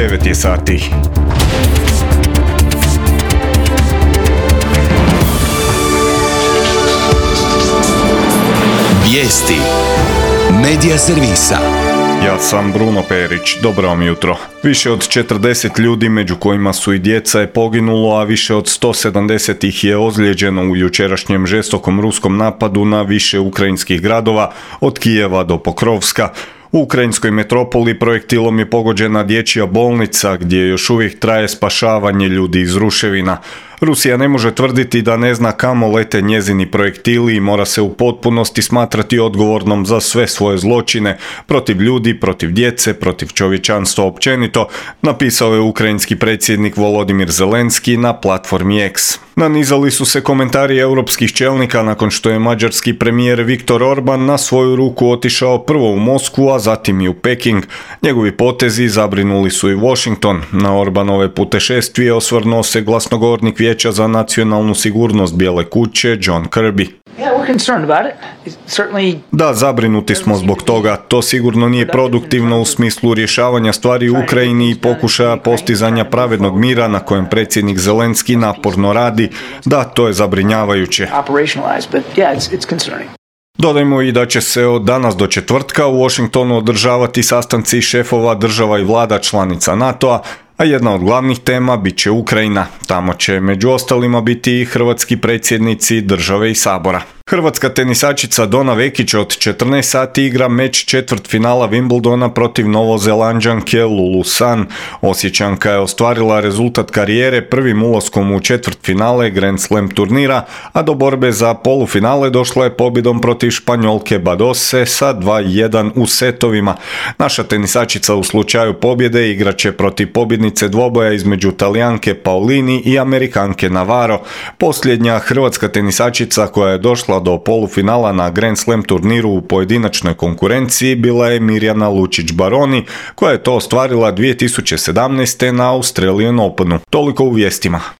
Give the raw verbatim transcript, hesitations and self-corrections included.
devet je sati. Vijesti Medija servisa. Ja sam Bruno Perić, dobro vam jutro. Više od četrdeset ljudi, među kojima su i djeca, je poginulo, a više od sto sedamdeset ih je ozlijeđeno u jučerašnjem žestokom ruskom napadu na više ukrajinskih gradova, od Kijeva do Pokrovska. U ukrajinskoj metropoli projektilom je pogođena dječja bolnica, gdje još uvijek traje spašavanje ljudi iz ruševina. Rusija ne može tvrditi da ne zna kamo lete njezini projektili i mora se u potpunosti smatrati odgovornom za sve svoje zločine protiv ljudi, protiv djece, protiv čovječanstva općenito, napisao je ukrajinski predsjednik Volodimir Zelenski na platformi X. Nanizali su se komentari europskih čelnika nakon što je mađarski premijer Viktor Orban na svoju ruku otišao prvo u Moskvu, a zatim i u Peking. Njegovi potezi zabrinuli su i Washington. Na Orbanove putešestvije osvrnuo se glasnogovornik Vijeća za nacionalnu sigurnost Bijele kuće John Kirby. Da, zabrinuti smo zbog toga. To sigurno nije produktivno u smislu rješavanja stvari u Ukrajini i pokušaja postizanja pravednog mira na kojem predsjednik Zelenski naporno radi. Da, to je zabrinjavajuće. Dodajmo i da će se od danas do četvrtka u Washingtonu održavati sastanci šefova država i vlada članica NATO-a, a jedna od glavnih tema bit će Ukrajina. Tamo će među ostalima biti i hrvatski predsjednici države i sabora. Hrvatska tenisačica Dona Vekić od četrnaest sati igra meč četvrtfinala Wimbledona protiv Novozelanđanke Lulu San. Osječanka je ostvarila rezultat karijere prvim ulaskom u četvrtfinale Grand Slam turnira, a do borbe za polufinale došla je pobjedom protiv Španjolke Badose sa dva jedan u setovima. Naša tenisačica u slučaju pobjede igraće protiv pobjednice dvoboja između Talijanke Paolini i Amerikanke Navarro. Posljednja hrvatska tenisačica koja je došla do polufinala na Grand Slam turniru u pojedinačnoj konkurenciji bila je Mirjana Lučić-Baroni, koja je to ostvarila dvije tisuće sedamnaeste. na Australian Openu. Toliko u vijestima.